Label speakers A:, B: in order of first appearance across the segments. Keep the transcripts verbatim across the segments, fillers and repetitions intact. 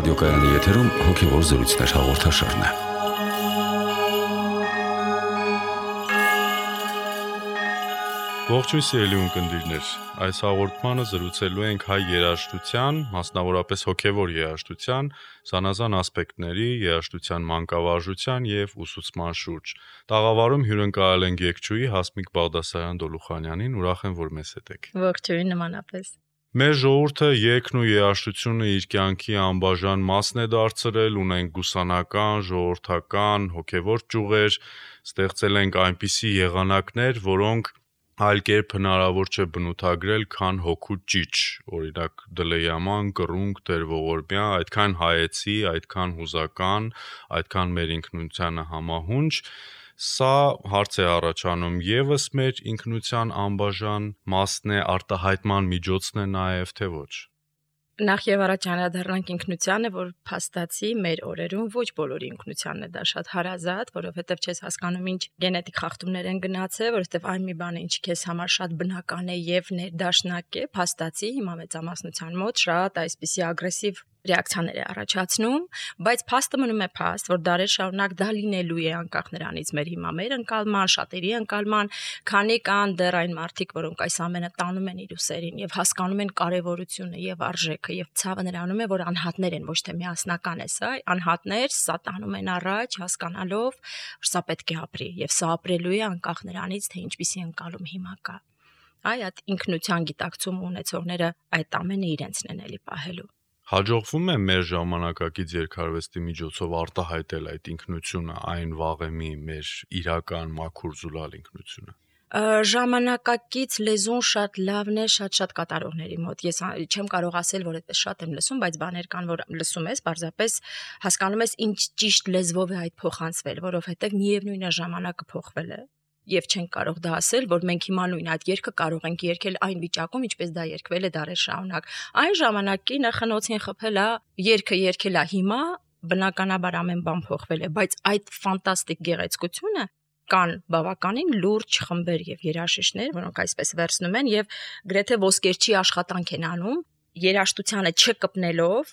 A: Ռադիոկայանի եթերում հոգևոր զրույցներ հաղորդաշարն է։
B: Ողջույն սիրելի ունկնդիրներ, այս հաղորդմանը զրուցելու ենք հայ երաժշտության, մասնավորապես հոգևոր երաժշտության, զանազան ասպեկտների, երաժշտության մանկավարժության և ուսուցման շուրջ։ Տաղավարում հյուրընկալել ենք երգչուհի Հասմիկ Բաղդասարյան Դոլուխանյանին, ուրախ եմ, որ մեզ հետ եք։
C: Ողջույն, նմանապես։
B: Մեր ժողովուրդը երգն ու երաժշտությունը իր կյանքի անբաժան մասն է դարձրել, ունենք գուսանական, ժողովրդական, հոգևոր ճյուղեր, ստեղծել ենք այնպիսի եղանակներ, որոնք այլ կերպ հնարավոր չէ բնութագրել, քան հոգու ճիչ, օրինակ դլեյաման, կռունկ, տեր-ողորմյա, այդքան հայեցի, այդքան հուզական, այդքան մեր ինքնությանը համահունչ։ Սա հարց է առաջանում, ևս մեր ինքնության անբաժան մասն է, արտահայտման միջոցն է նաև, թե ոչ։
C: Նախ եւ առաջ անդրադառնանք ինքնությանը, որ փաստացի մեր օրերում ոչ բոլորի ինքնությանն է դա շատ հարազատ, որովհետեւ չես հասկանում ինչ գենետիկ խախտումներ են գնացել, որովհետեւ այն մի բան է, ինչ քեզ համար շատ բնական է եւ ներդաշնակ է, փաստացի հիմա մեծամասնության մոտ շատ այսպիսի ագրեսիվ ռեակցիաներ է առաջացնում, բայց փաստը մնում է փաստ, որ դարեր շարունակ դա լինելու է անկախ նրանից մեր հիմա մեր ընկալման, շատերի ընկալման, քանի կան դեռ այն մարդիկ, որոնք այս ամենը տանում են իր ուսերին եւ հասկանում են կարեւորությունը եւ արժեքը եւ ցավը նրանում է, որ անհատներ են, ոչ թե միասնական է սա, անհատներ սա տանում են առաջ, հասկանալով, որ սա պետք է ապրի եւ սա ապրելու է անկախ նրանից, թե ինչպիսի ընկալում հիմա կա։ Այ այդ ինքնության գիտակցում ունեցողները այդ ամենը իրենցն են էլի պահելու։
B: Հաջողվում է մեր ժամանակակից երգարվեստի միջոցով արտահայտել այդ ինքնությունը, այն վաղեմի մեր իրական մաքուր զուլալ ինքնությունը։
C: Ժամանակակից լեզուն շատ լավն է շատ-շատ կատարողների մոտ։ Ես չեմ կարող ասել, որ այդպես շատ եմ լսում, բայց բաներ կան, որ լսում ես, պարզապես հասկանում ես ինչ ճիշտ լեզվով է այդ փոխանցվել, որովհետև միևնույն է ժամանակը փոխվել է։ Եվ չենք կարող դա ասել, որ մենք հիմա նույն այդ երգը կարող ենք երգել այն վիճակում, ինչպես դա երգվել է դարեր շարունակ։ Այն ժամանակի նախանոցին խփել է, երգը երգել է հիմա, բնականաբար ամեն բան փոխվել է, բայց այդ ֆանտաստիկ գեղեցկությունը կան բավականին լուրջ խմբեր եւ երաժիշտներ, որոնք այսպես վերցնում են եւ գրեթե ոսկերչի աշխատանք են անում, երաժշտությանը չկպնելով,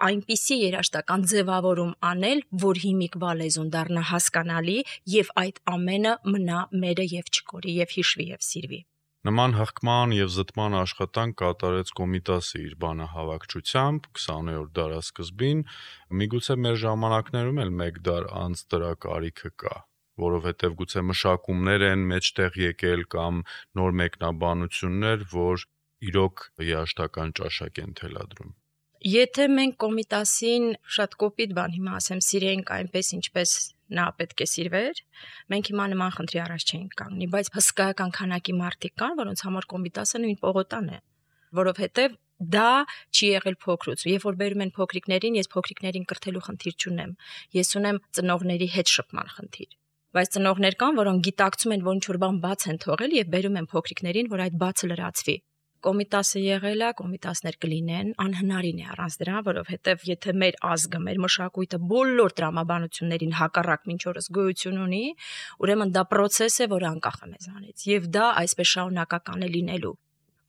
C: այնպիսի երաժշտական ձևավորում անել, որ հիմիկվա լեզուն դառնա հասկանալի եւ այդ ամենը մնա մերը եւ չկորի եւ հիշվի եւ սիրվի։
B: Նման հղկման եւ զտման աշխատանք կատարեց Կոմիտասը իր բանահավաքչությամբ քսաներորդ դարասկզբին, միգուցե մեր ժամանակներում էլ մեկ դար անց դրա կարիքը կա, որովհետեւ գուցե մշակումներ են մեջտեղ եկել կամ նոր մեկնաբանություններ, որ իրոք երաժշտական ճաշակ են թելադրում։
C: Եթե մենք Կոմիտասին շատ կոպիտ բան հիմա ասեմ, սիրեինք այնպես, ինչպես նա պետք է սիրվեր, մենք հիմա նման խնդրի առաջ չենք կանգնի, բայց հսկայական քանակի մարդիկ կան, որոնց համար Կոմիտասը նույն պողոտան է, որովհետև դա չի եղել փոքրուց։ Երբ որ բերում են փոքրիկներին, ես փոքրիկներին կրթելու խնդիր չունեմ։ Ես ունեմ ծնողների հետ շփման խնդիր։ Բայց ծնողներ կան, որոնք գիտակցում են, որ ինչ-որ բան բաց են թողել եւ բերում են փոքրիկներին, որ այդ բացը լրացվի։ Կոմիտասը եղել է, կոմիտասներ կլինեն, անհնարին է առանց դրա, որովհետև եթե մեր ազգը, մեր մշակույթը բոլոր տրամաբանություններին հակառակ մինչ օրս գոյություն ունի, ուրեմն դա process է, որը անկախ է մեզանից, եւ դա այսպես շարունակական է լինելու։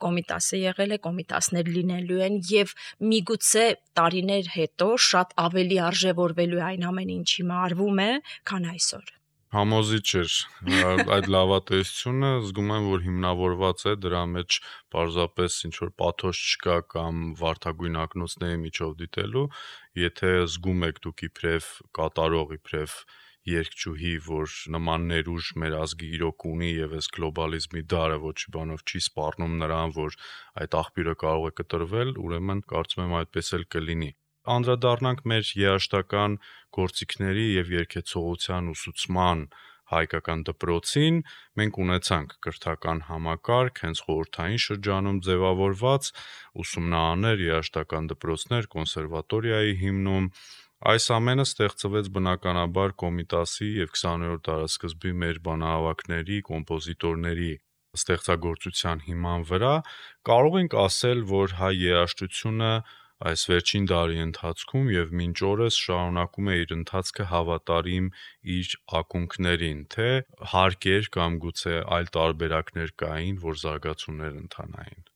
C: Կոմիտասը եղել է, կոմիտասներ լինելու են եւ միգուցե տարիներ հետո շատ ավելի արժևորվելու է այն ամենը, ինչ հիմա արվում է, քան այսօր։
B: Համոզիչ էր այդ լավատեսությունը, զգում եմ, որ հիմնավորված է դրա մեջ պարզապես ինչ որ պաթոս չկա կամ վարդագույն ակնոցների միջով դիտելու, եթե զգում եք դուք իբրև կատարող, իբրև երգչուհի, որ նման ներուժ մեր ազգի իրոք ունի եւ այս գլոբալիզմի դարը ոչ մի բանով չի սպառնում նրան, որ այդ աղբյուրը կարող է կտրվել, ուրեմն կարծում եմ այդպես էլ կլինի։ Անդրադառնանք մեր երաժշտական գործիքների եւ երգեցողության ուսուցման հայկական դպրոցին, մենք ունեցանք կրթական համակարգ, հենց խորհրդային շրջանում ձևավորված ուսումնարաններ, երաժշտական դպրոցներ, կոնսերվատորիայի հիմնում։ Այս ամենը ստեղծվեց բնականաբար Կոմիտասի եւ քսաներորդ դարասկզբի մեր բանահավաքների, կոմպոզիտորների ստեղծագործության հիման վրա։ Կարող ենք ասել, որ հայ երաժշտությունը այս վերջին դարի ընթացքում եւ մինչ օրս շարունակում է իր ընթացքը հավատարիմ իր ակունքներին, թե հարկեր կամ գուցե այլ տարբերակներ կային, որ զարգացումներ ընթանային։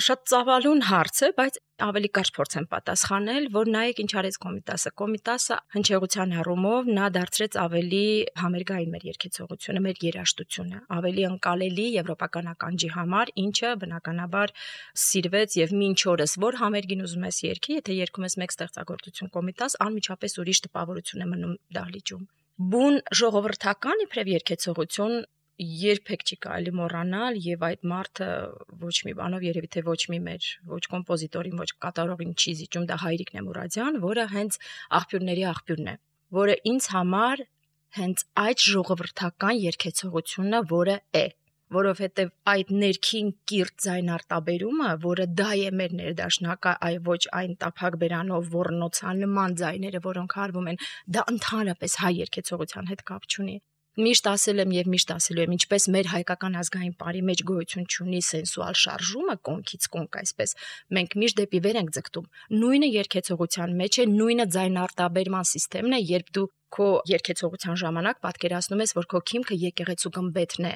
C: Շատ ծավալուն հարց է, բայց ավելի կարճ փորձեմ պատասխանել, որ նայեք ինչ արեց Կոմիտասը։ Կոմիտասը հնչեղության առումով նա դարձրեց ավելի համերգային մեր երգեցողությունը, մեր երաժշտությունը, ավելի ընկալելի եվրոպական ականջի համար, ինչը բնականաբար սիրվեց եւ մինչ օրս որ համերգին ուզում ես երգի, եթե երգում ես մեկ ստեղծագործություն Կոմիտաս, անմիջապես ուրիշ տպավորություն է մնում դահլիճում։ Բուն ժողովրդական իբրև երգեցողություն երբեք չի կարելի մոռանալ եւ այդ մարդը ոչ մի բանով երևի թե ոչ մի մեր ոչ կոմպոզիտորին ոչ կատարողին չի զիջում, դա Հայրիկ Նեմուրադյան, որը հենց աղբյուրների աղբյուրն է, որը ինձ համար հենց այդ ժողովրդական երգեցողությունը, որը է, որովհետեւ այդ ներքին կիրթ ձայնարտաբերումը, որը դա է մեր ներդաշնակը, այ ոչ այն տափակ բերանով ոռնոցանման ձայները, որոնք հարվում են, դա ընդհանրապես հայ երգեցողության հետ կապ չունի։ Միշտ ասել եմ եւ միշտ ասելու եմ, ինչպես մեր հայկական ազգային բարի մեջ գոյություն ունի սենսուալ շարժումը կոնքից կոնք, այսպես մենք միշտ դեպի վեր ենք ձգտում։ Նույնը երգեցողության մեջ է, նույնը ձայնարտաբերման համակարգն է, երբ դու քո երգեցողության ժամանակ պատկերացնում ես, որ քո քիմքը եկեղեցու գմբեթն է։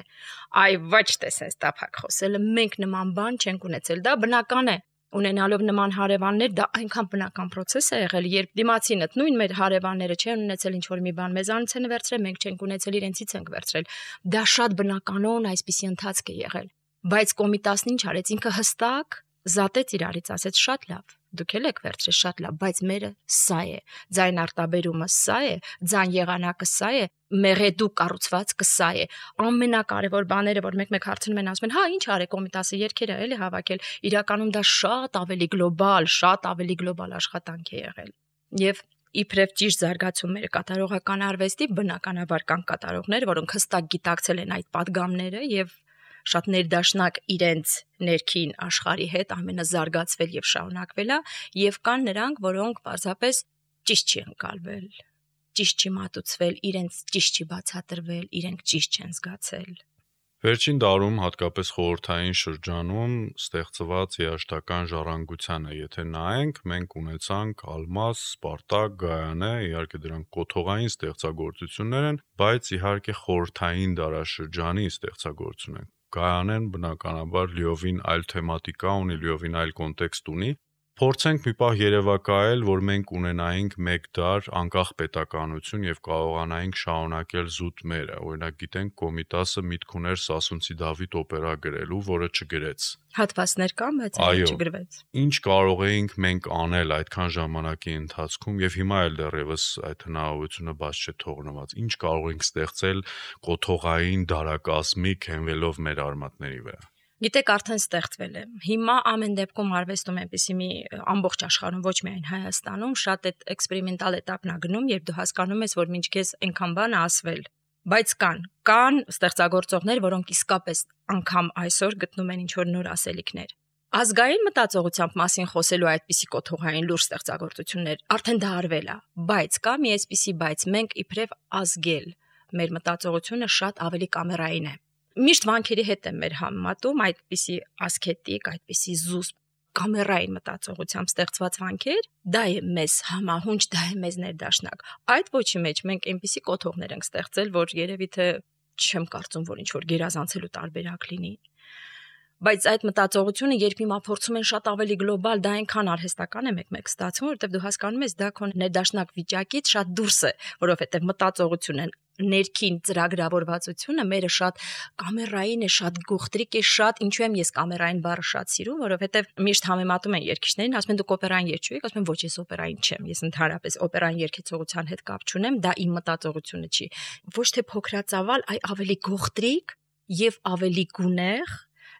C: Այ ոչ թե sense տափակ խոսելը, մենք նման բան չենք ունեցել, դա բնական է։ Ունենալով նման հարևաններ, դա այնքան բնական process է եղել, երբ դիմացինդ նույն մեր հարևանները չեն ունեցել ինչ-որ մի բան, մեզանից են վերցրել, մենք չենք ունեցել, իրենցից ենք վերցրել։ Դա շատ բնականon այսպիսի ընթացք է եղել։ Բայց Կոմիտասն ինչ արեց, ինքը հստակ զատեց իրարից, ասեց շատ լավ, դուք էլ եք վերցրել շատ լավ, բայց մերը սա է, ձայն արտաբերումը սա է, ձայն եղանակը սա է, մեղեդու կառուցվածքը սա է։ Ամենակարևոր բաները, որ մեկ-մեկ հարցնում են, ասում են, հա, ինչ արե Կոմիտասը երգերը էլի հավաքել, իրականում դա շատ ավելի գլոբալ, շատ ավելի գլոբալ աշխատանք է եղել։ Եվ իբրև ճիշտ զարգացում մեր կատարողական արվեստի, բնականաբար կան կատարողներ, որոնք հստակ գիտակցել են այդ падգամները եւ շատ ներդաշնակ իրենց ներքին աշխարհի հետ ամենազարգացվել եւ շարունակվել է, եւ կան նրանք, որոնք պարզապես ճիշտ չի ընկալվել, ճիշտ չի մատուցվել, իրենց ճիշտ չի բացատրվել, իրենք ճիշտ չեն զգացել։
B: Վերջին դարում, հատկապես խորհրդային շրջանում ստեղծված երաժշտական ժառանգությանը, եթե նայենք, մենք ունեցանք Ալմաս, Սպարտակ, Գայանե, իհարկե դրանք կոթողային ստեղծագործություններ են, բայց իհարկե խորհրդային դարաշրջանի ստեղծագործություն են։ Գայանեն բնականաբար լիովին այլ թեմատիկա ունի, լիովին այլ կոնտեքստ ունի։ Փորձենք մի պահ երևակայել, որ մենք ունենայինք մեկ դար անկախ պետականություն եւ կարողանայինք շարունակել զուտ մերը։ Օրինակ գիտենք Կոմիտասը միտք ուներ Սասունցի Դավիթ օպերա գրելու, որը չգրեց։
C: Հատվածներ կան, բայց չգրվեց։
B: Ինչ կարող էինք մենք անել այդքան ժամանակի ընթացքում եւ հիմա էլ դեռևս այդ հնարավորությունը բաց չէ թողնված։ Ինչ կարող ենք ստեղծել կոթողային դարակազմիկ հենվելով մեր արմատների վրա։
C: Գիտեք, արդեն ստեղծվել է։ Հիմա ամեն դեպքում արվեստում այնպեսի մի ամբողջ աշխարհում, ոչ միայն Հայաստանում, շատ այդ էքսպերիմենտալ էտապն է գնում, երբ դու հասկանում ես, որ մինչքեզ այնքան բան է ասվել։ Բայց կան, կան ստեղծագործողներ, որոնք իսկապես անգամ այսօր գտնում են ինչ-որ նոր ասելիքներ։ Ազգային մտածողությամբ մասին խոսելու այդպիսի կոթողային լուրջ ստեղծագործություններ արդեն դա արվել է, բայց կա մի այսպիսի բայց մենք իբրև ազգել մեր մտածողությունը շատ ավելի կամերային է։ Միշտ վանքերի հետ եմ մեր համեմատում այդպիսի ասկետիկ, այդպիսի զուսպ կամերային մտածողությամբ ստեղծված վանքեր, դա է մեզ համահունչ, դա է մեզ ներդաշնակ։ Այդ ոչի մեջ մենք այնպիսի կոթողներ ենք ստեղծել, որ երևի թե չեմ կարծում, որ ինչ-որ գերազանցելու տարբերակ լինի։ Բայց այդ մտածողությունը երբ հիմա փորձում են շատ ավելի գլոբալ, դա այնքան արհեստական է մեկ-մեկ ստացվում, որովհետև դու հասկանում ես, դա քո ներդաշնակ վիճակից շատ դուրս է, որովհետև մտածողությունը ներքին ծրագրավորվածությունը մերը շատ կամերային է, շատ գողտրիկ է, շատ ինչու եմ ես կամերային բառը շատ սիրում, որովհետև միշտ համեմատում են երգիչներին, ասում են դուք օպերային երգչու եք, ասում են ոչ ես օպերային չեմ, ես ընդհանրապես օպերային երգեցողության հետ կապ չունեմ, դա իմ մտածողությունը չի։ Ոչ թե փոքրածավալ, այլ ավելի գողտրիկ եւ ավելի գունեղ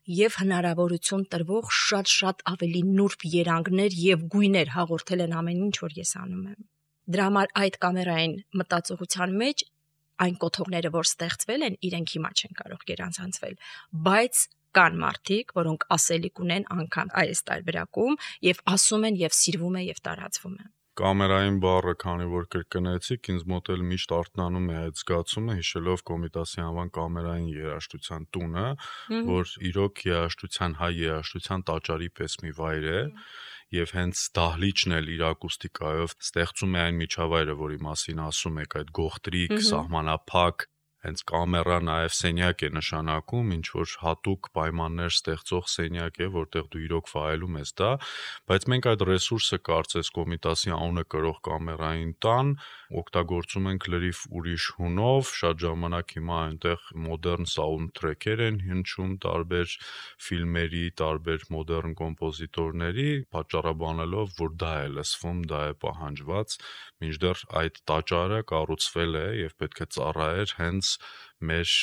C: եւ հնարավորություն տրվող շատ-շատ ավելի նուրբ երանգներ եւ գույներ հաղորդել են ամեն ինչ, որ ես անում եմ։ Դրա համար այդ կամերային մտածողության մեջ այն կոթողները, որ ստեղծվել են, իրենք հիմա չեն կարող գերանցանցվել, բայց կան մարդիկ, որոնք ասելիք ունեն անգամ այս տարբերակում եւ ասում են եւ սիրվում է եւ տարածվում է։
B: Կամերային բառը, քանի որ կրկնեցիք, ինձ մոտ էլ միշտ արթնանում է այդ զգացումը, հիշելով Կոմիտասի անվան կամերային երաժշտության տունը, որ իրոք երաժշտության, հայ երաժշտության տաճարի պես մի վայր է, եւ հենց դահլիճն էլ իր ակուստիկայով ստեղծում է այն միջավայրը, որի մասին ասում եք, այդ գողտրիկ, սահմանափակ, հենց կամերա նաև սենյակ է նշանակում, ինչ որ հատուկ պայմաններ ստեղծող սենյակ է, որտեղ դու իրոք վայելում ես դա, բայց մենք այդ ռեսուրսը կարծես Կոմիտասի անունը կրող կամերային տան օգտագործում ենք լրիվ ուրիշ հունով, շատ ժամանակ հիմա այնտեղ մոդեռն սաունդթրեքեր են հնչում տարբեր ֆիլմերի, տարբեր մոդեռն կոմպոզիտորների, պատճառաբանելով, որ դա է լսվում, դա է պահանջված, մինչդեռ այդ տաճարը կառուցվել է եւ պետք է ծառայեր հենց մեր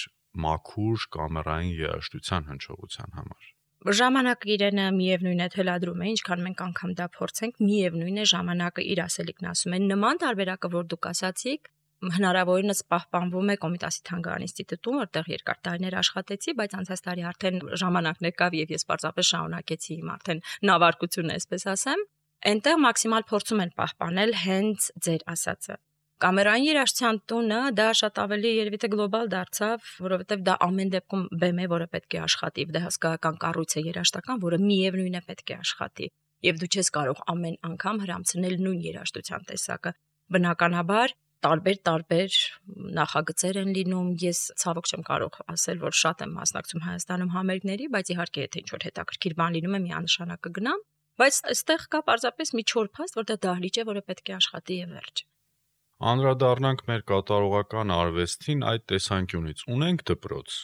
B: մաքուր կամերային երաժշտության հնչողության համար։
C: Ժամանակը իրենը միևնույն է թելադրում է, ինչքան մենք անգամ դա փորձենք, միևնույն է ժամանակը իր ասելիքն ասում են։ Նման տարբերակը, որ դուք ասացիք, հնարավորինս պահպանվում է Կոմիտասի թանգարան ինստիտուտում, որտեղ երկար տարիներ աշխատեցի, բայց անցած տարի արդեն ժամանակն եկավ եւ ես պարզապես շարունակեցի իմ արդեն նավարկությունը, այսպես ասեմ։ Այնտեղ մաքսիմալ փորձում են պահպանել հենց ձեր ասածը։ Կամերային երաժշտության տունը դա շատ ավելի երևի թե գլոբալ դարձավ, որովհետև դա ամեն դեպքում բեմ է, որը պետք է աշխատի, դա հսկայական կառույց է երաժշտական, որը միևնույն է պետք է աշխատի։ Եվ դու չես կարող ամեն անգամ հրամցնել նույն երաժշտության տեսակը։ Բնականաբար տարբեր-տարբեր նախագծեր են լինում, ես ցավոք չեմ կարող ասել, որ շատ եմ մասնակցում Հայաստանում համերգների, բայց իհարկե եթե ինչ-որ հետաքրքիր բան լինում է, միանշանակ կգնամ, բայց այստեղ կա պարզապես մի չոր փաստ, որ դա դահլիճ է, որը պետք է աշխատի եւ վերջ։
B: Անդրադառնանք մեր կատարողական արվեստին այդ տեսանկյունից։ Ունենք դպրոց,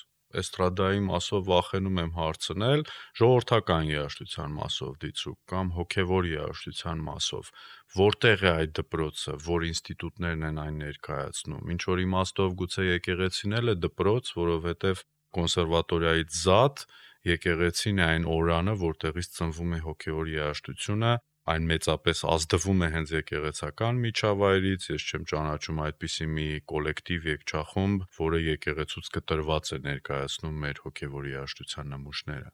B: էստրադայի մասով վախենում եմ հարցնել, ժողովրդական երաժշտության մասով դիցուկ կամ հոգևոր երաժշտության մասով, որտեղ է այդ դպրոցը, որ ինստիտուտներն են այն ներկայացնում, ինչ որ իմաստով գուցե եկեղեցին էլ է դպրոց, որովհետև կոնսերվատորիայից զատ եկեղեցին է այն օրանը, որտեղից ծնվում է հոգևոր երաժշտությունը, այն մեծապես ազդվում է հենց եկեղեցական միջավայրից, ես չեմ ճանաչում այդպիսի մի կոլեկտիվ երգչախումբ, որը եկեղեցուց կտրված է ներկայացնում մեր հոգևոր երաժշտության նմուշները։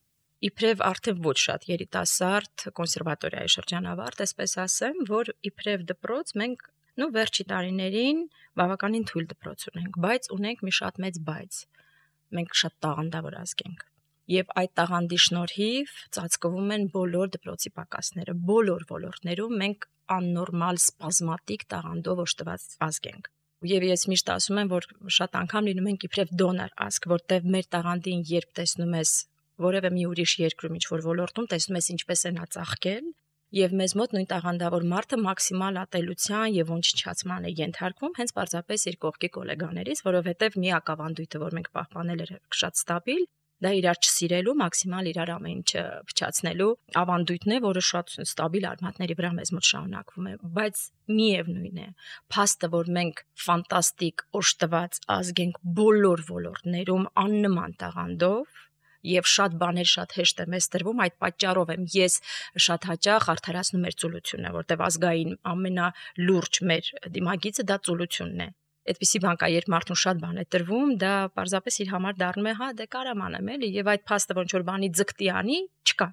C: Իբրև արդեն ոչ շատ երիտասարդ կոնսերվատորիայի շրջանավարտ, այսպես ասեմ, որ իբրև դպրոց մենք նո վերջի տարիներին բավականին թույլ դպրոց ունենք, բայց ունենք մի շատ մեծ բայց։ Մենք շատ տաղանդավոր ազգ ենք։ Եվ այդ տաղանդի շնորհիվ ծածկվում են բոլոր դպրոցի պակասները, բոլոր ոլորտներում մենք աննորմալ սպազմատիկ տաղանդով օժտված ազգ ենք։ Եվ ես միշտ ասում եմ, որ շատ անգամ լինում ենք իբրև դոնոր ազգ, որտեղ մեր տաղանդին երբ տեսնում ես որևէ մի ուրիշ երկրում ինչ-որ ոլորտում, տեսնում ես ինչպես են ածաղկել, եւ մեզ մոտ նույն տաղանդավոր մարդը մաքսիմալ ատելության եւ ոչնչացման է ենթարկվում հենց պարզապես իր կողքի գոլեգաներից, որովհետեւ միակ ավանդույթը, որ մենք պահպանել էր շատ ստաբիլ, դա իրար չսիրելու, մաքսիմալ իրար ամեն ինչը փչացնելու ավանդույթն է, որը շատ ստաբիլ արմատների վրա մեզ մոտ շարունակվում է, բայց միևնույն է, փաստը, որ մենք ֆանտաստիկ օժտված ազգ ենք բոլոր ոլորտներում աննման տաղանդով եւ շատ բաներ շատ հեշտ է մեզ տրվում, այդ պատճառով եմ ես շատ հաճախ արդարացնում մեր ծուլությունը, որտեղ ազգային ամենալուրջ մեր դիմագիծը դա ծուլությունն է։ Այդպիսի բան կա, երբ մարդուն շատ բան է տրվում, դա պարզապես իր համար դառնում է, հա, դե կարամ անեմ էլի, եւ այդ փաստը ոնց որ բանի ձգտի անի, չկա։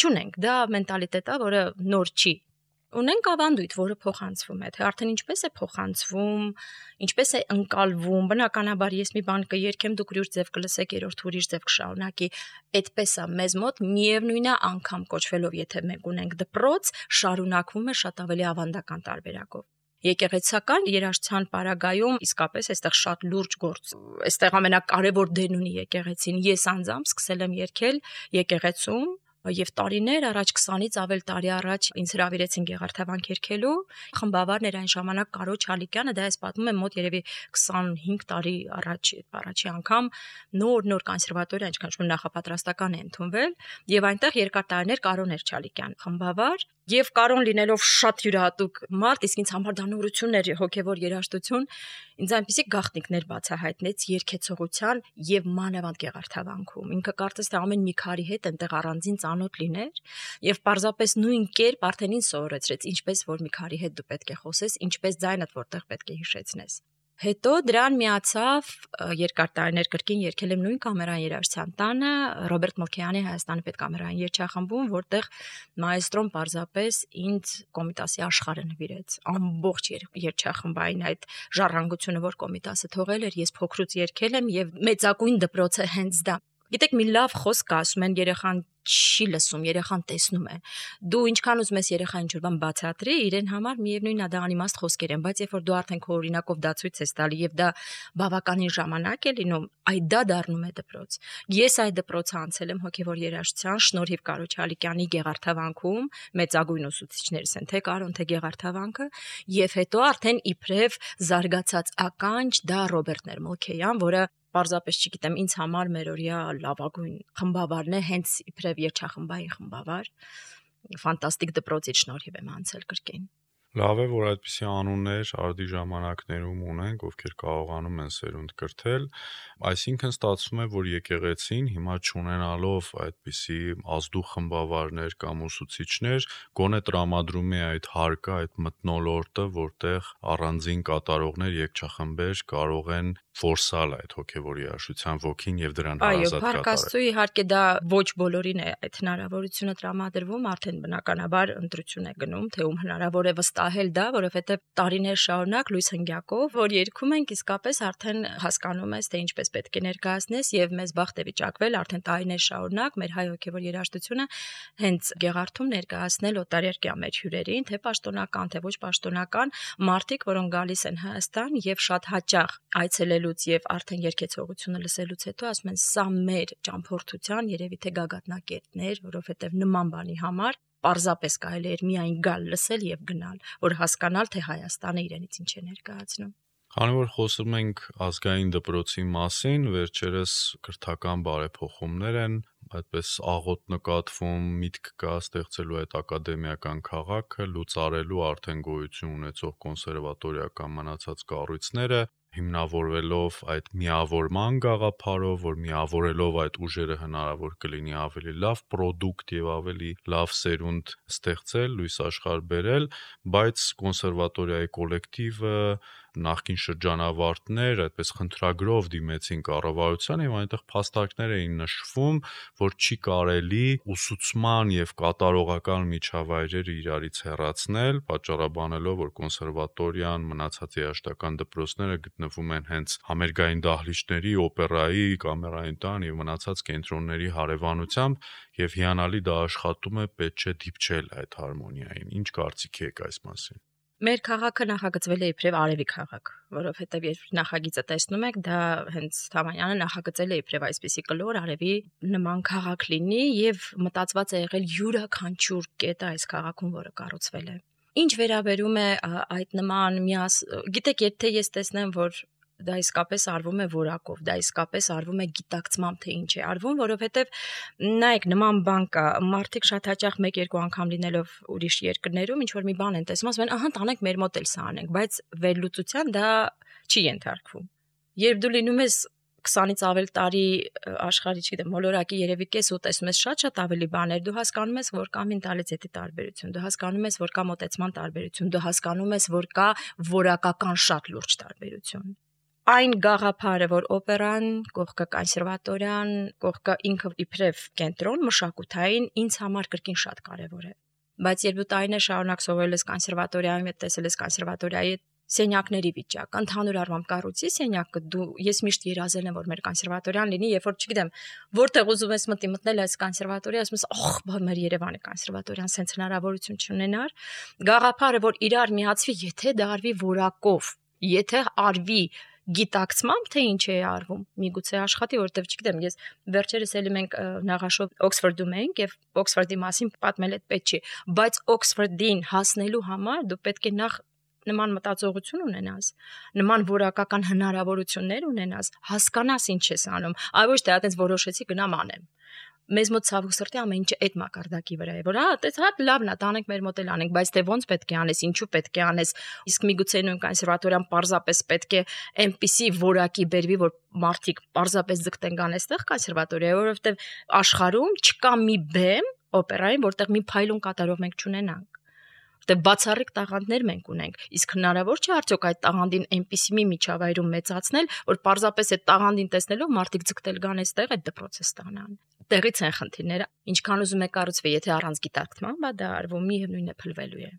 C: Չունենք, դա մենտալիտետ է, որը նոր չի։ Ունենք ավանդույթ, որը փոխանցվում է, թե արդեն ինչպես է փոխանցվում, ինչպես է ընկալվում, բնականաբար ես մի բան կերքեմ, դուք ուրիշ ձև կլսեք, երրորդ ուրիշ ձև կշարունակի, այդպես է մեզ մոտ միևնույնն է անգամ կոչվելով, եթե մենք ունենք դպրոց, շարունակվում է շատ ավելի ավանդական տարբերակով։ Եկեղեցական երաժշտության պարագայում իսկապես այստեղ շատ լուրջ գործ, այստեղ ամենակարևոր դերն ունի եկեղեցին, ես անձամբ սկսել եմ երգել եկեղեցում, եւ տարիներ առաջ քսանից ավել տարի առաջ ինձ հրավիրեցին Գեղարդավանք երգելու, խմբավարն էր այն ժամանակ Կարո Չալիկյանը, դա ես պատմում եմ մոտ երևի քսանհինգ տարի առաջ, առաջի անգամ նոր-նոր կոնսերվատորիա, ինչքան շուտ նախապատրաստական է ընդունվել, եւ այնտեղ երկար տարիներ Կարոն էր Չալիկյան խմբավար, եւ Կարոն լինելով շատ յուրահատուկ մարդ, իսկ ինձ համար դա նորություն էր, հոգեվոր երաժշտություն, ինձ այնպեսի գաղտնիքներ բացահայտնեց երգեցողության եւ մանավանդ Գեղարդավանքում։ Ինքը կարծես թե ամեն մի քարի հետ այնտեղ առանձին ծանոթ լիներ եւ պարզապես նույն կերպ արդեն ինձ սովորեցրեց, ինչպես որ մի քարի հետ դու պետք է խոսես, ինչպես ձայնդ որտեղ պետք է հիշեցնես։ Հետո դրան միացավ երկար տարիներ կրկին երգել եմ նույն կամերային երաժշտության տանը Ռոբերտ Մելքոյանի Հայաստանի պետկամերային երգչախմբում, որտեղ մայստրոն պարզապես ինձ Կոմիտասի աշխարհը նվիրեց։ Ամբողջ երգչախմբային այդ ժառանգությունը, որ Կոմիտասը թողել էր, ես փոքրուց երգել եմ եւ մեծակույն դպրոցը հենց դա Գիտեք, մի լավ խոսք ասում են, երեխան չի լսում, երեխան տեսնում է։ Դու ինչքան ուզում ես երեխային ինչ-որ բան բացատրի, իրեն համար միևնույնն է դա անիմաստ խոսքեր են, բայց երբ որ դու արդեն քո օրինակով դա ցույց ես տալի եւ դա բավականին ժամանակ է լինում, այ դա դառնում է դպրոց։ Ես այդ դպրոցը անցել եմ հոգեվոր երաժշտության շնորհիվ Կարոջ Հալիկյանի Գեղարդավանքում, մեծագույն ուսուցիչներս են, թե Կարոն, թե Գեղարդավանքը, եւ հետո արդեն իբրև զարգացած ականջ դա Ռոբերտ Ներմոլքեյան, որը պարզապես չգիտեմ, ինձ համար մերօրյա լավագույն խմբավարն է, հենց իբրև երգչախմբային խմբավար, ֆանտաստիկ դպրոցից շնորհիվ եմ անցել կրկին։
B: Լավ է, որ այդպիսի անուններ արդի ժամանակներում ունենք, ովքեր կարողանում են սերունդ կրթել, այսինքն ստացվում է, որ եկեղեցին հիմա չունենալով այդպիսի ազդու խմբավարներ կամ ուսուցիչներ, գոնե տրամադրում է այդ հարկը, այդ մթնոլորտը, որտեղ առանձին կատարողներ, երգչախմբեր կարող են ֆորսալ այդ հոգևոր երաժշտության ոգին եւ դրան հարազատ կատարել։ Այո,
C: Փառք իհարկե դա ոչ բոլորին է այդ հնարավորությունը տրամադրվում, արդեն բնականաբար ընտրություն է գնում, թե ում հնարավոր է վստահել դա, որովհետեւ տարիներ շարունակ լույս հնգյակով, որ երգում ենք, իսկապես արդեն հասկանում ես, թե ինչպես պետք է ներկայացնես եւ մեզ բախտ է վիճակվել արդեն տարիներ շարունակ մեր հայ հոգևոր երաժշտությունը հենց Գեղարդում ներկայացնել օտարերկրյա մեր հյուրերին, թե պաշտոնական, թե ոչ պաշտոնական մարդիկ, որոնք գալիս են Հայաստան եւ շատ հաճախ այցելելուց եւ արդեն երգեցողությունը լսելուց հետո ասում են սա մեր ճամփորդության երևի թե գագաթնակետներ, որովհետեւ նման բանի համար պարզապես կարելի էր միայն գալ լսել եւ գնալ, որ հասկանալ թե Հայաստանը իրենից ինչ է ներկայացնում։
B: Քանի որ խոսում ենք ազգային դպրոցի մասին, վերջերս կրթական բարեփոխումներ են, այդպես աղոտ նկատվում, միտք կա ստեղծելու այդ ակադեմիական քաղաքը, լուծարելու արդեն գոյություն ունեցող կոնսերվատորիական մնացած կառույցները, հիմնավորվելով այդ միավորման գաղափարով, որ միավորելով այդ ուժերը հնարավոր կլինի ավելի լավ պրոդուկտ եւ ավելի լավ սերունդ ստեղծել, լույս աշխարհ բերել, բայց կոնսերվատորիայի կոլեկտիվը նախկին շրջանավարտներ այդպես խնդրագրով դիմեցին կառավարության եւ այնտեղ փաստարկներ էին նշվում, որ չի կարելի ուսուցման եւ կատարողական միջավայրերը իրարից հեռացնել, պատճառաբանելով, որ կոնսերվատորիան մնացած երաժշտական դպրոցները գտնվում են հենց համերգային դահլիճների, օպերայի, կամերային տան եւ մնացած կենտրոնների հարևանությամբ եւ հիանալի դա աշխատում է, պետք չէ դիպչել այդ հարմոնիային։ Ինչ կարծիք եք այս մասին։
C: Մեր քաղաքը նախագծվել է իբրև Արևի քաղաք, որովհետև երբ նախագիծը տեսնում եք, դա հենց Թամանյանը նախագծել է իբրև այսպիսի կլոր Արևի նման քաղաք լինի եւ մտածված է եղել յուրաքանչյուր կետը այս քաղաքում, որը կառուցվել է։ Ինչ վերաբերում է այդ նման միաս, գիտեք, եթե ես տեսնեմ, որ դա իսկապես արվում է որակով, դա իսկապես արվում է գիտակցմամբ, թե ինչ է արվում, որովհետև նայեք, նման բան կա, մարդիկ շատ հաճախ մեկ-երկու անգամ լինելով ուրիշ երկրներում ինչ որ մի բան են տեսնում, ասում են, ահա, տանենք մեր մոտ էլ սա անենք, բայց վերլուծության դա չի ենթարկվում։ Երբ դու լինում ես քսանից ավել տարի աշխարհի, չգիտեմ, մոլորակի երևի կես ու տեսնում ես շատ-շատ ավելի բաներ, դու հասկանում ես, որ կա մենտալիտետի տարբերություն, դու հասկանում ես, որ կա մոտեցման տարբերություն, դու հասկանում ես, որ կա որակական շատ լուրջ տարբերություն։ Այն գաղափարը, որ օպերան, կողքը կոնսերվատորիան, կողքը ինքը իբրև կենտրոն մշակութային ինձ համար կրկին շատ կարևոր է։ Բայց երբ դու տարիներ շարունակ սովորել ես կոնսերվատորիայում, տեսել ես կոնսերվատորիայի սենյակների վիճակ, ընդհանուր առմամբ կառույցի սենյակը, դու ես միշտ երազել եմ, որ մեր կոնսերվատորիան լինի, երբ որ չգիտեմ, որտեղ ուզում ես մտի մտնել այս կոնսերվատորիա, ասում ես, ախ, բա մեր Երևանի կոնսերվատորիան սենց հնարավորություն չունենար։ Գաղափարը, որ իրար միացվի, եթե դա արվի որակով, եթե արվի գիտակցմամբ, թե ինչ է արվում, միգուցե աշխատի, որովհետև չգիտեմ, ես վերջերս էլի մենք նաղաշով Օքսֆորդում ենք եւ Օքսֆորդի մասին պատմել այդ պետք չի, բայց Օքսֆորդին հասնելու համար դու պետք է նախ նման մտածողություն ունենաս, նման որակական հնարավորություններ ունենաս, հասկանաս ինչ ես անում, այլ ոչ թե այդպես որոշեցի գնամ անեմ։ Մեզ մոտ ցավոք սրտի ամեն ինչը այդ մակարդակի վրա է, որ հա, այդպես հա լավն է, տանենք մեր մոտ էլ անենք, բայց թե ոնց պետք է անես, ինչու պետք է անես, իսկ միգուցե նույն կոնսերվատորիան պարզապես պետք է այնպիսի որակի բերվի, որ մարդիկ պարզապես ձգտեն գան այստեղ կոնսերվատորիա, որովհետև աշխարհում չկա մի բեմ օպերային, որտեղ մի փայլուն կատարող մենք չունենանք։ Դե բացառիկ տաղանդներ մենք ունենք, իսկ հնարավոր չէ արդյոք այդ տաղանդին այնպիսի մի միջավայրում մեծացնել, որ պարզապես այդ տաղանդին տեսնելով մարդիկ ձգտել գան այստեղ այդ դպրոցը ստանան։ Տեղից են խնդիրները, ինչքան ուզում եք կառուցվի, եթե առանց գիտակցման, բա դա արվում միևնույնն է փլվելու է։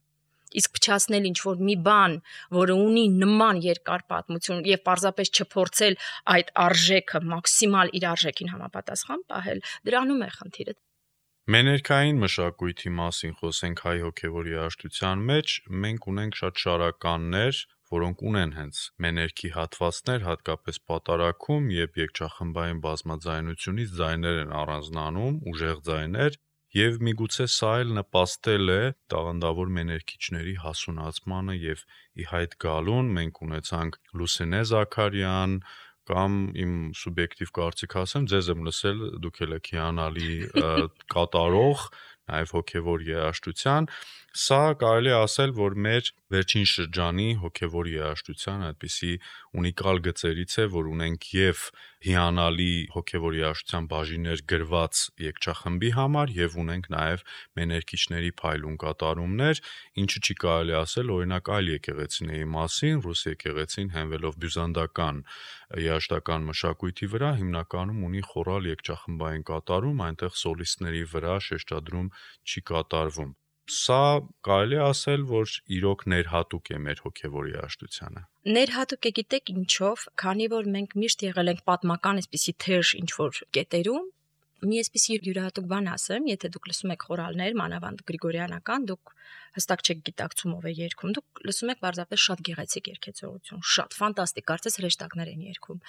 C: Իսկ փչացնել ինչ-որ մի բան, որը ունի նման երկար պատմություն եւ պարզապես չփորձել այդ արժեքը մաքսիմալ իր արժեքին համապատասխան պահել, դրանում է խնդիրը։
B: Մեներքային մշակույթի մասին խոսենք հայ հոգևոր երաժշտության մեջ, մենք ունենք շատ շարականներ, որոնք ունեն հենց մեներքի հատվածներ, հատկապես պատարագում, երբ երգչախմբային բազմաձայնությունից ձայներ են առանձնանում, ուժեղ ձայներ, եւ միգուցե սա էլ նպաստել է տաղանդավոր մեներքիչների հասունացմանը եւ ի հայտ գալուն։ Մենք ունեցանք Լուսինե Զաքարյան կամ իմ սուբյեկտիվ կարծիք ասեմ, ձեզ եմ լսել, դուք եք հիանալի կատարող, նաև հոգևոր երաժշտության, սա կարելի է ասել, որ մեր վերջին շրջանի հոգևոր երաժշտության այդպիսի ունիկալ գծերից է, որ ունենք եւ հիանալի հոգևոր երաժշտության բաժիններ գրված երգչախմբի համար եւ ունենք նաև մեներքիչների փայլուն կատարումներ, ինչը չի կարելի ասել օրինակ այլ եկեղեցիների մասին, ռուս եկեղեցին հենվելով բյուզանդական երաժշտական մշակույթի վրա հիմնականում ունի խորալ երգչախմբային կատարում, այնտեղ սոլիստների վրա շեշտադրում չի կատարվում։ Սա կարելի է ասել, որ իրոք ներհատուկ է մեր հոգևոր երաժշտությանը։
C: Ներհատուկ է, գիտեք ինչով, քանի որ մենք միշտ եղել ենք պատմական այսպիսի թեժ ինչ-որ կետերում, մի այսպիսի յուրահատուկ բան ասեմ, եթե դուք լսում եք խորալներ, մանավանդ գրիգորյանական, դուք հստակ չեք գիտակցում ով է երգում, դուք լսում եք պարզապես շատ գեղեցիկ երգեցողություն, շատ ֆանտաստիկ, կարծես հրեշտակներ են երգում։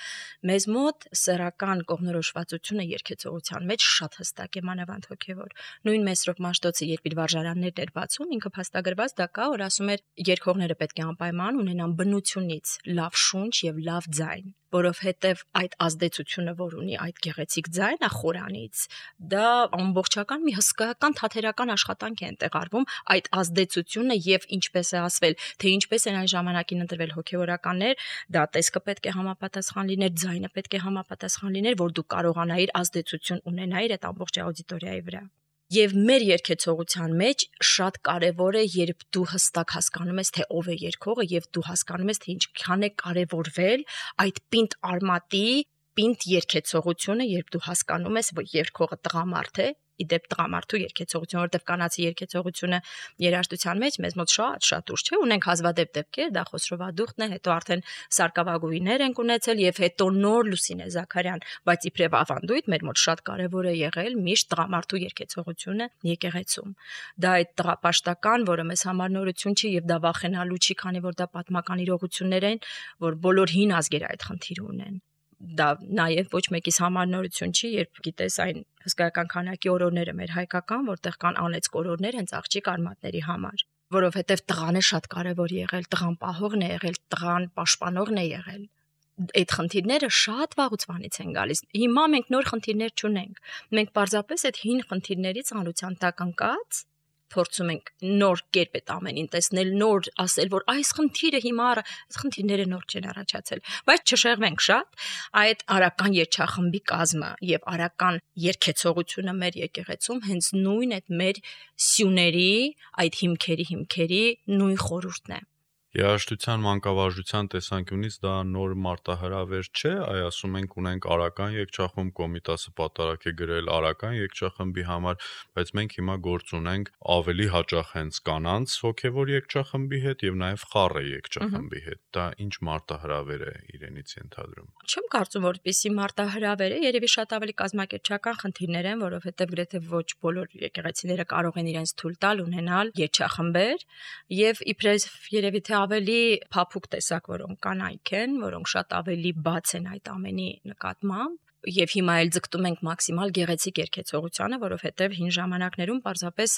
C: Մեզ մոտ սեռական կողմնորոշվածությունը երգեցողության մեջ շատ հստակ է, մանավանդ հոգևոր։ Նույն Մեսրոպ Մաշտոցը, երբ իր վարժարաններն էր բացում, ինքը փաստագրված դա կա, որ ասում էր երգողները պետք է անպայման ունենան բնությունից լավ շունչ եւ լավ ձայն, որովհետեւ այդ ազդեցությունը, որ ունի այդ գեղեցիկ ձայնը խորանից, դա ամբողջական մի հսկայական թատերական աշխատանք է ընտեղարվում այդ ազդեցությունը եւ ինչպես է ասվել, թե ինչպես են այն ժամանակին ընտրվել հոգեվորականներ, դա տեսքը պետք է համապատասխան լիներ, ձայնը պետք է համապատասխան լիներ, որ դու կարողանայիր ազդեցություն ունենայիր այդ ամբողջ աուդիտորիայի վրա։ Եվ մեր երգեցողության մեջ շատ կարևոր է, երբ դու հստակ հասկանում ես, թե ով է երգողը եւ դու հասկանում ես, թե ինչքան է կարևորվել այդ պինդ արմատի, պինդ երգեցողությունը, երբ դու հասկանում ես, որ երգողը տղամարդ է, իդեպ տղամարդու երգեցողություն, որտեղ կանացի երգեցողությունը երաժշտության մեջ մեզ մոտ շատ շատ ուժ չէ, ունենք հազվադեպ դեպքեր, դա Խոսրովադուխտն է, հետո արդեն Սարգսակավագույներ ենք ունեցել եւ հետո նոր Լուսինե Զաքարյան, բայց իբրև ավանդույթ մեր մոտ շատ կարեւոր է եղել միշտ տղամարդու երգեցողությունը եկեղեցում։ Դա այդ տղապաշտական, որը մեզ համար նորություն չի եւ դա վախենալու չի, քանի որ դա պատմական իրողություններ են, որ բոլոր հին ազգերը այդ խնդիրը ունեն։ Դա նաև ոչ մեկիս համար նորություն չի, երբ գիտես այն հսկայական քանակի օրորները մեր հայկական, որտեղ կան անեծք օրորներ հենց աղջիկ արմատների համար, որովհետև տղան է շատ կարևոր եղել, տղան պահողն է եղել, տղան պաշտպանողն է եղել։ Այդ խնդիրները շատ վաղուց վանից են գալիս։ Հիմա մենք նոր խնդիրներ չունենք։ Մենք պարզապես այդ հին խնդիրներից անության տակ ընկած փորձում ենք նոր կերպ այդ ամենին տեսնել, նոր ասել, որ այս խնդիրը հիմա այս խնդիրները նոր չեն առաջացել, բայց չշեղվենք շատ, այդ արական երգչախմբի կազմը եւ արական երգեցողությունը մեր եկեղեցում հենց նույն այդ մեր սյուների, այդ հիմքերի հիմքերի նույն խորհուրդն է։
B: Երաժշտության մանկավարժության տեսանկյունից դա նոր մարտահրավեր չէ, այ ասում ենք ունենք արական երգչախումբ, Կոմիտասը պատարակ է գրել արական երգչախմբի համար, բայց մենք հիմա գործ ունենք ավելի հաճախ հենց կանանց հոգևոր երգչախմբի հետ եւ նաեւ խառը երգչախմբի հետ։ Դա ինչ մարտահրավեր է իրենից ենթադրում։
C: Չեմ կարծում, որ այդպիսի մարտահրավեր է, երևի շատ ավելի կազմակերպչական խնդիրներ են, որովհետեւ գրեթե ոչ բոլոր եկեղեցիները կարող են իրենց թույլ տալ ունենալ երգչախմբեր եւ իբրև երևի թե ավելի փափուկ տեսակ, որոնք կանայք են, որոնք շատ ավելի բաց են այդ ամենի նկատմամբ, եւ հիմա էլ ձգտում ենք մաքսիմալ գեղեցիկ երգեցողությանը, որովհետեւ հին ժամանակներում պարզապես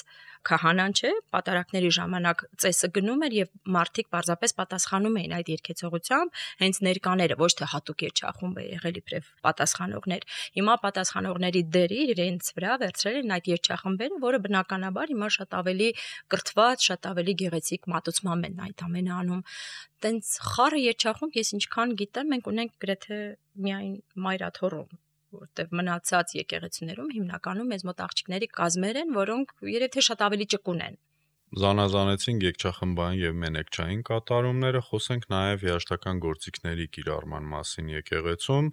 C: քահանան չէ, պատարակների ժամանակ ծեսը գնում էր եւ մարդիկ պարզապես պատասխանում էին այդ երգեցողությամբ, հենց ներկաները, ոչ թե հատուկ երգչախումբ է եղել իբրև պատասխանողներ։ Հիմա պատասխանողների դերը իրենց վրա վերցրել են այդ երգչախմբերը, որը բնականաբար հիմա շատ ավելի կրթված, շատ ավելի գեղեցիկ մատուցմամբ են այդ ամենը անում։ Տենց խառը երգչախումբ, ես ինչքան գիտեմ, մենք ունենք գրեթե միայն Մայրաթոռում, որտեղ մնացած եկեղեցիներում հիմնականում մեզ մոտ աղջիկների կազմեր են, որոնք երևի թե շատ ավելի ճկուն են։
B: Զանազանեցինք երգչախմբային եւ մենեքչային կատարումները, խոսենք նաեւ երաժշտական գործիքների կիրառման մասին եկեղեցում,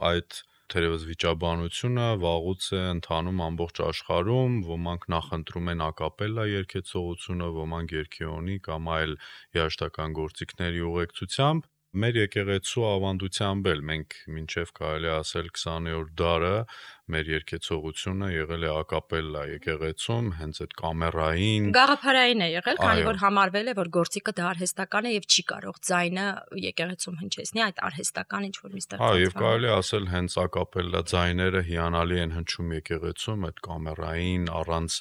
B: այդ Թերևս վիճաբանությունը վաղուց է ընթանում ամբողջ աշխարհում, ոմանք նախընտրում են ակապելլա երգեցողությունը, ոմանք երգեոնի կամ այլ երաժշտական գործիքների ուղեկցությամբ։ Մեր եկեղեցու ավանդությամբ էլ մենք մինչև կարելի ասել քսաներորդ դարը մեր երգեցողությունը եղել է ակապելլա եկեղեցում, հենց այդ կամերային
C: գաղափարային է եղել, քանի որ համարվել է, որ գործիքը դա արհեստական է եւ չի կարող ձայնը եկեղեցում հնչեցնի այդ արհեստական ինչ որ մի ստեղծած։
B: Հա, եւ կարելի ասել հենց ակապելլա ձայները հիանալի են հնչում եկեղեցում, այդ կամերային առանց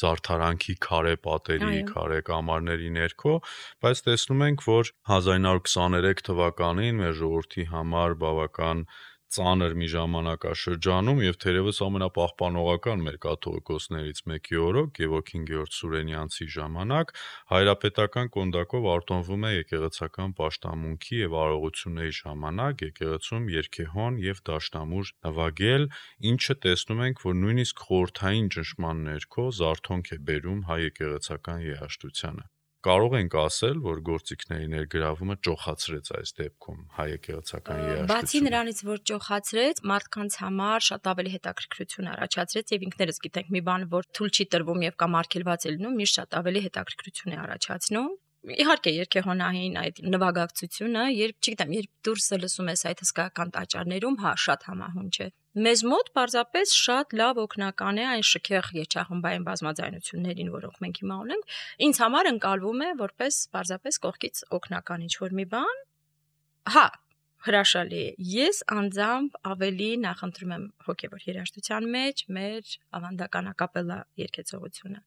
B: զարդարանքի քարե պատերի, քարե կամարների ներքո, բայց տեսնում ենք, որ հազար ինը հարյուր քսաներեք թվականին մեր ժողովրդի համար բավական ծանր մի ժամանակաշրջանում եւ թերևս ամենապահպանողական մեր կաթողիկոսներից մեկի օրոք Գևորգ Գեորգ Սուրենյանցի ժամանակ հայրապետական կոնդակով արտոնվում է եկեղեցական պաշտամունքի եւ արարողությունների ժամանակ եկեղեցում երգեհոն եւ դաշնամուր նվագել, ինչը տեսնում ենք, որ նույնիսկ խորհրդային ճնշման ներքո զարթոնք է բերում հայ եկեղեցական երաժշտությանը։ Կարող ենք ասել, որ գործիքների ներգրավումը ճոխացրեց այս դեպքում հայ եկեղեցական երաժշտությունը։
C: Բացի նրանից, որ ճոխացրեց, մարդկանց համար շատ ավելի հետաքրքրություն առաջացրեց եւ ինքներս գիտենք մի բան, որ թույլ չի տրվում եւ կամ արգելված է լինում, միշտ շատ ավելի հետաքրքրություն է առաջացնում։ Իհարկե երկեհոնային այդ նվագակցությունը, երբ, չգիտեմ, երբ դուրսը լսում ես այդ հսկայական տաճարներում, հա, շատ համահունչ է։ Մեզ մոտ պարզապես շատ լավ օգնական է այն շքեղ երջախմբային բազմաձայնություններին, որոնք մենք հիմա ունենք, ինձ համար ընկալվում է որպես պարզապես կողքից օգնական ինչ-որ մի բան։ Հա, հրաշալի է։ Ես անձամբ ավելի նախընտրում եմ հոգևոր երաժշտության մեջ մեր ավանդական ակապելլա երգեցողությունը։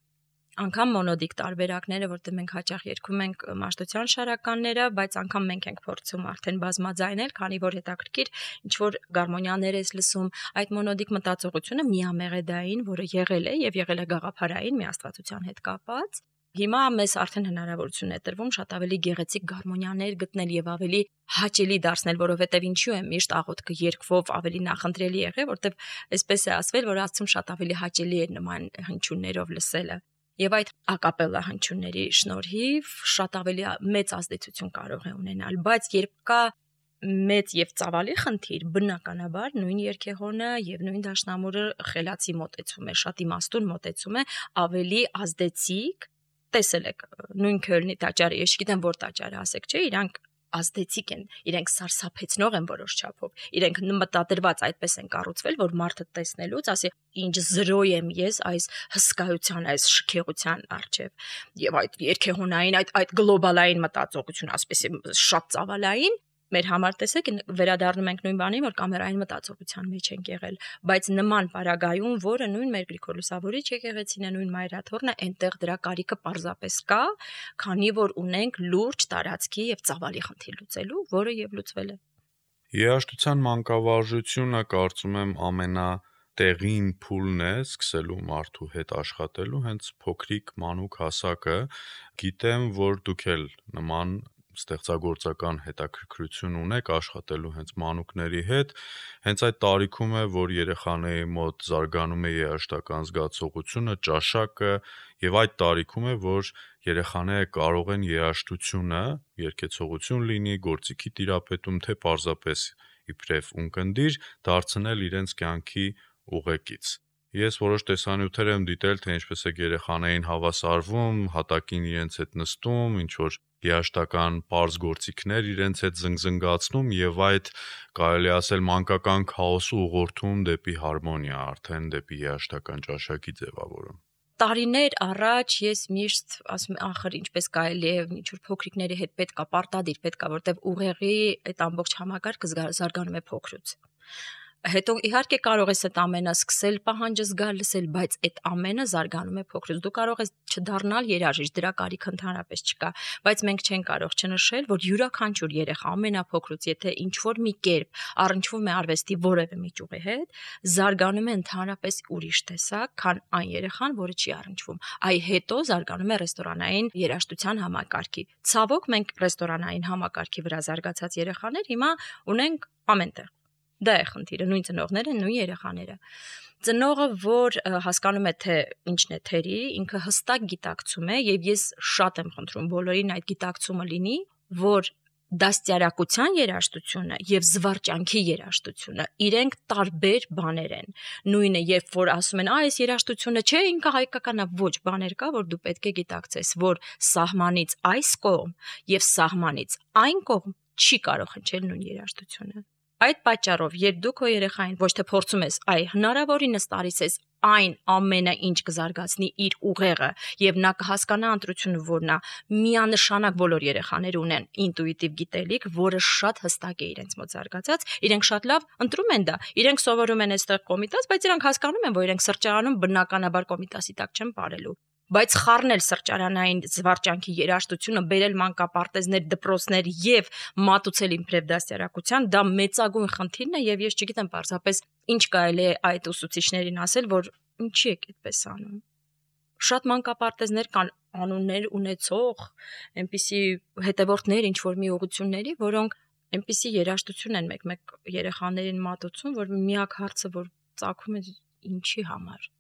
C: Անկամ մոնոդիկ տարբերակները, որտեղ մենք հաճախ երգում ենք մաշտության շարականները, բայց անգամ մենք ենք փորձում արդեն բազմաձայնել, քանի որ հետաքրքիր ինչ որ գարմոնիաներ ես լսում, այդ մոնոդիկ մտածողությունը միամեղեդային, որը եղել է եւ եղել է գաղափարային մի աստվածության հետ կապված։ Հիմա մեզ արդեն հնարավորություն է տրվում շատ ավելի գեղեցիկ գարմոնիաներ գտնել եւ ավելի հաճելի դարձնել, որովհետեւ ինչու է միշտ աղոթքը երգվով ավելի նախընտրելի եղել, որտեղ այսպես է ասվել, որ Աստծուն շատ ավելի հաճելի է նման հնչյուններով լսելը։ Եվ այդ ակապելլա հնչյունների շնորհիվ շատ ավելի մեծ ազդեցություն կարող է ունենալ, բայց երբ կա մեծ եւ ծավալի խնդիր, բնականաբար նույն երգեհոնը եւ նույն դաշնամուրը խելացի մոտեցում է, շատ իմաստուն մոտեցում է, ավելի ազդեցիկ։ Տեսել եք նույն Քյոլնի տաճարը, ես չգիտեմ որ տաճարը ասեք, չէ, իրանք ազդեցիկ են, իրենք սարսափեցնող են որոշ չափով, իրենք մտադրված այդպես են կառուցվել, որ մարդը տեսնելուց ասի, ինչ զրո եմ ես այս հսկայության, այս շքեղության առջև, եւ այդ երգեհոնային, այդ այդ գլոբալային մտածողություն, ասպեսի շատ ծավալային, մեր համար տեսեք վերադառնում ենք նույն բանին, որ կամերային մտածողության մեջ ենք եղել, բայց նման պարագայում, որը նույն մեր Գրիգոր Լուսավորիչ եկեղեցին է, նույն Մայրաթորն է, այնտեղ դրա կարիքը պարզապես կա, քանի որ ունենք լուրջ տարածքի եւ ծավալի խնդիր լուծելու, որը եւ լուծվել է։
B: Երաժշտության մանկավարժությունը կարծում եմ ամենա տեղին փուլն է սկսելու մարդու հետ աշխատելու հենց փոքրիկ մանուկ հասակը։ Գիտեմ, որ դուք էլ նման ստեղծագործական հետաքրքրություն ունեք աշխատելու հենց մանուկների հետ, հենց այդ տարիքում է, որ երեխաների մոտ զարգանում է երաժշտական զգացողությունը, ճաշակը, եւ այդ տարիքում է, որ երեխաները կարող են երաժշտությունը, երգեցողություն լինի, գործիքի տիրապետում, թե պարզապես իբրև ունկնդիր, դարձնել իրենց կյանքի ուղեկից։ Ես որոշ տեսանյութեր եմ դիտել, թե ինչպես է երեխաներին հավասարվում, հատակին իրենց հետ նստում, ինչ որ երաժշտական պարզ գործիքներ իրենց հետ զնգզնգացնում եւ այդ կարելի ասել մանկական քաոսը ուղղորդում դեպի հարմոնիա, արդեն դեպի երաժշտական ճաշակի ձևավորում։
C: Տարիներ առաջ ես միշտ ասում եմ, ախր ինչպես կարելի է ինչ որ փոքրիկների հետ պետքա պարտադիր պետքա, որտեվ ուղեղի այդ ամբողջ համակարգը զարգանում է փոքրուց։ Հետո իհարկե կարող ես այդ ամենը սկսել պահանջը զգալ լսել, բայց այդ ամենը զարգանում է փոքրուց։ Դու կարող ես չդառնալ երաժիշտ, դրա կարիք ընդհանրապես չկա, բայց մենք չենք կարող չնշել, որ յուրաքանչյուր երեխա ամենափոքրուց, եթե ինչ որ մի կերպ առնչվում է արվեստի որևէ միջուղի հետ, զարգանում է ընդհանրապես ուրիշ տեսակ, քան այն երեխան, որը չի առնչվում։ Այ հետո զարգանում է ռեստորանային երաժշտության համակարգի։ Ցավոք մենք ռեստորանային համակարգի վրա զարգացած երեխաներ հիմա ունենք ամենտեղ։ Դա է խնդիրը, նույն ծնողները, նույն երեխաները։ Ծնողը, որ հասկանում է, թե ինչն է թերի, ինքը հստակ գիտակցում է, եւ ես շատ եմ խնդրում բոլորին այդ գիտակցումը լինի, որ դաստիարակության երաժշտությունը եւ զվարճանքի երաժշտությունը իրենք տարբեր բաներ են։ Նույնը, երբ որ ասում են, «Ա, այս երաժշտությունը չէ, ինքը հայկական է», ոչ, բաներ կա, որ դու պետք է գիտակցես, որ սահմանից այս կողմ եւ սահմանից այն կողմ չի կարող հնչել նույն երաժշտությունը։ Այդ պատճառով, երբ դու քո երեխային ոչ թե փորձում ես, այ հնարավորինս տալիս ես այն ամենը, ինչ կզարգացնի իր ուղեղը, եւ նա կհասկանա ընտրությունը, որ նա միանշանակ բոլոր երեխաները ունեն ինտուիտիվ գիտելիք, որը շատ հստակ է իրենց մոտ զարգացած, իրենք շատ լավ ընտրում են դա, իրենք սովորում են այստեղ կոմիտաս, բայց իրենք հասկանում են, որ իրենք սրճարանում բնականաբար կոմիտասի տակ չեն ապրելու։ Բայց խառնել սրճարանային զվարճանքի երաժշտությունը, բերել մանկապարտեզներ, դպրոցներ եւ մատուցել իբրև դաստիարակության, դա մեծագույն խնդիրն է եւ ես չգիտեմ պարզապես ինչ կարելի է այդ ուսուցիչներին ասել, որ ինչի եք այդպես անում։ Շատ մանկապարտեզներ կան անուններ ունեցող, այնպիսի հետևորդներ ինչ որ մի ուղղությունների, որոնք այնպիսի երաժշտություն են մեկ-մեկ երեխաներին մատուցում, որ միակ հարցը որ ծագում է ինչի համար։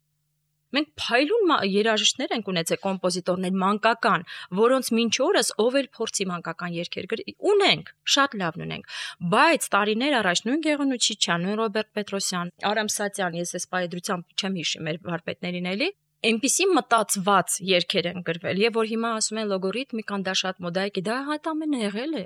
C: Մենք փայլուն երաժիշտներ ենք ունեցել, կոմպոզիտորներ մանկական, որոնց մինչ օրս ով էլ փորձի մանկական երգեր գրի, ունենք, շատ լավն ունենք, բայց տարիներ առաջ նույն Գեղոնու Չիչյան, նույն Ռոբերտ Պետրոսյան, Արամ Սատյան, ես այս պայդրությամբ չեմ հիշի մեր վարպետներին էլի, այնպիսի մտածված երգեր են գրվել, եւ որ հիմա ասում են լոգորիթմիկան դա շատ մոդա է, դա հատ ամենը եղել է։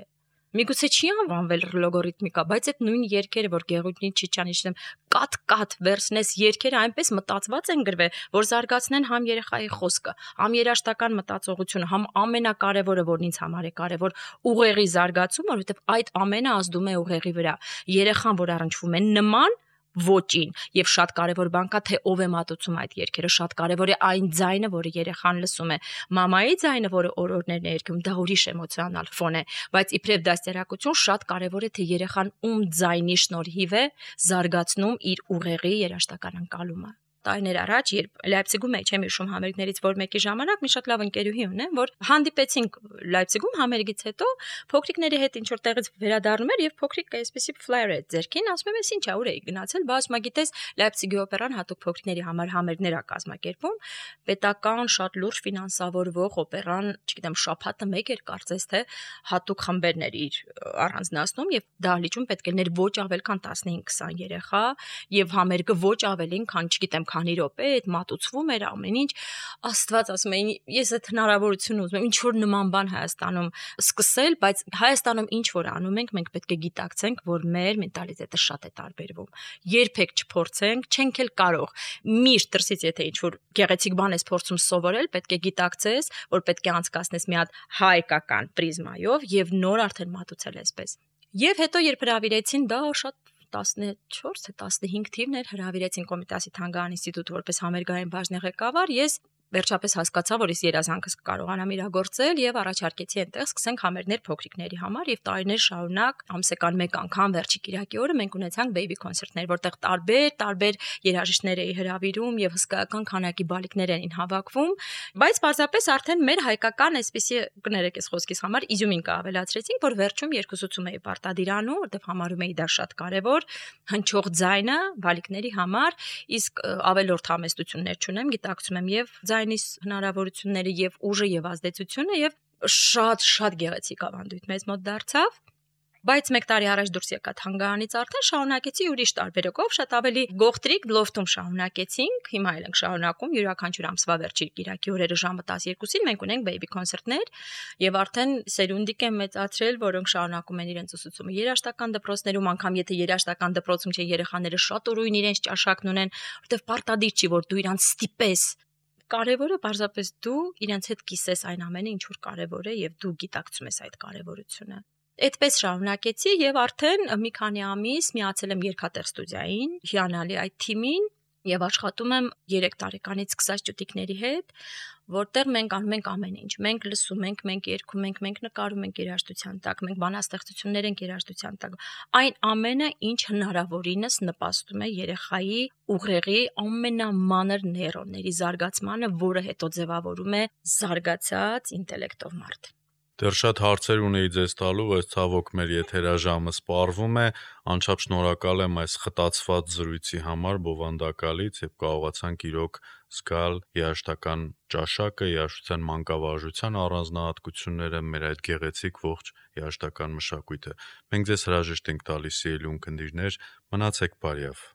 C: Միգուցե չի անվանվել լոգորիթմիկա, բայց այդ նույն երգերը, որ Գեղոնի Չիչյանի իշխեմ, կատ-կատ վերցնես երգերը այնպես մտածված են գրվել, որ զարգացնեն համ երեխայի խոսքը, համ երաժշտական մտածողությունը, համ ամենակարևորը, որն ինձ համար է կարևոր, ուղեղի զարգացումը, որովհետև այդ ամենը ազդում է ուղեղի վրա։ Երեխան, որ առնչվում է նման ոճին, եւ շատ կարևոր բան կա, թե ով է մատուցում այդ երգերը, շատ կարևոր է այն ձայնը, որը երեխան լսում է։ Մամայի ձայնը, որը օրորներն է երգում, դա ուրիշ էմոցիոնալ ֆոն է, բայց իբրև դաստիարակություն շատ կարևոր է, թե երեխան ում ձայնի շնորհիվ է զարգացնում իր ուղեղի երաժշտական ընկալումը։ Տարիներ առաջ, երբ Լայպցիգում էի, չեմ հիշում համերգներից որ մեկի ժամանակ, մի շատ լավ ընկերուհի ունեմ, որ հանդիպեցինք Լայպցիգում համերգից հետո, փոքրիկների հետ ինչ որ տեղից վերադառնում էր եւ փոքրիկը այսպեսի ֆլայեր է ձերքին, ասում եմ, ինչ է, ուր էի գնացել, բաց մա գիտես, Լայպցիգի օպերան հատուկ փոքրիկների համար համերգներ է կազմակերպում, պետական շատ լուրջ ֆինանսավորվող օպերան, չգիտեմ, շաբաթը մեկ էր կարծես թե հատուկ խմբերներ իր առանձնացնում եւ դահլիճում պետք է ներ ոչ ավել քան տասնհինգ քսան երեխա եւ համերգը ոչ ավելին, քան չգիտեմ քանի րոպե, այդ մատուցվում էր ամեն ինչ, Աստված ասում էին, ես այդ հնարավորությունը ուզում եմ, ինչ որ նման բան Հայաստանում սկսել, բայց Հայաստանում ինչ որ անում ենք, մենք պետք է գիտակցենք, որ մեր մենտալիտետը շատ է տարբերվում։ Երբեք չփորձենք, չենք էլ կարող։ Միշտ դրսից եթե ինչ որ գեղեցիկ բան ես փորձում սովորել, պետք է գիտակցես, որ պետք է անցկացնես մի հատ հայկական պրիզմայով եւ նոր արդեն մատուցել այսպես։ Եվ հետո երբ հրավիրեցին, դա շատ տասնչորս թե տասնհինգ թիվն էր, հրավիրեցին Կոմիտասի թանգարան ինստիտուտ որպես համերգային բաժնի ղեկավար, ես վերջապես հասկացա, որ ես երազանքս կարողանամ իրագործել եւ առաջարկեցի այնտեղ սկսենք համերգներ փոքրիկների համար եւ տարիներ շարունակ ամսական մեկ անգամ վերջի կիրակի օրը մենք ունեցանք բեյբի կոնցերտներ, որտեղ տարբեր տարբեր երաժիշտներ էի հրավիրում եւ հսկայական քանակի բալիկներ էին հավաքվում, բայց պարզապես արդեն մեր հայկական այսպեսի կներեք ես խոսքիս համար իզյումին կավելացրեցինք, որ վերջում երկուսուցում էի պարտադիր անում, որտեղ համարում էի դա շատ կարեւոր, հնչող ձայնը բալիկների համար, իսկ ավելորդ համեստություններ չունեմ, գիտակցում եմ եւ ձայնիս հնարավորությունները եւ ուժը եւ ազդեցությունը եւ շատ շատ գեղեցիկ ավանդույթ մեզ մոտ դարձավ, բայց մեկ տարի առաջ դուրս եկա թանգարանից արդեն շարունակեցի ուրիշ տարբերակով, շատ ավելի գողտրիկ լոֆտում շարունակեցինք, հիմա էլ ենք շարունակում յուրաքանչյուր ամսվա վերջի կիրակի օրերը ժամը տասներկուսին մենք ունենք բեյբի կոնցերտներ եւ արդեն սերունդիկ են մեծացրել, որոնք շարունակում են իրենց ուսուցումը երաժշտական դպրոցներում, անգամ եթե երաժշտական դպրոցում չէ երեխաները շատ ուրույն իրենց ճաշակն ունեն, որտեղ պարտադիր չի որ դու իրանց ստիպես Կարևորը պարզապես դու իրենց հետ կիսես այն ամենը, ինչ որ կարևոր է եւ դու գիտակցում ես այդ կարևորությունը։ Այդպես շարունակեցի եւ արդեն մի քանի ամիս միացել եմ երգատեղ ստուդիային, հիանալի այդ թիմին եւ աշխատում եմ երեք տարեկանից սկսած ճուտիկների հետ, որտեղ մենք անում ենք ամեն ինչ։ Մենք լսում ենք, մենք երգում ենք, մենք նկարում ենք երաժշտության տակ, մենք բանաստեղծություններ ենք երաժշտության տակ։ Այն ամենը, ինչ հնարավորինս նպաստում է երեխայի ուղեղի ամենամանր նեյրոնների զարգացմանը, որը հետո ձևավորում է զարգացած ինտելեկտով մարդ։
B: Դեռ շատ հարցեր ունեի ձեզ տալու, բայց ցավոք մեր եթերաժամը սպառվում է։ Անչափ շնորհակալ եմ այս խտացված զրույցի համար բովանդակալից եւ կարողացանք իրոք զգալ երաժշտական ճաշակը, երաժշտության մանկավարժության առանձնահատկությունները, մեր այդ գեղեցիկ ողջ երաժշտական մշակույթը։ Մենք ձեզ հրաժեշտ ենք տալիս, սիրելի ունկնդիրներ, մնացեք բարյավ։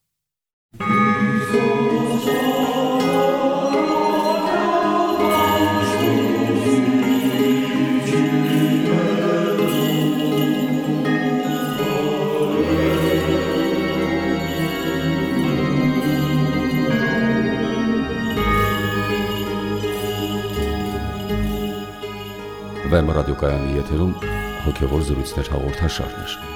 A: Վեմ ռադիոկայանի եթերում հոգևոր զրույցներ հաղորդաշարներ։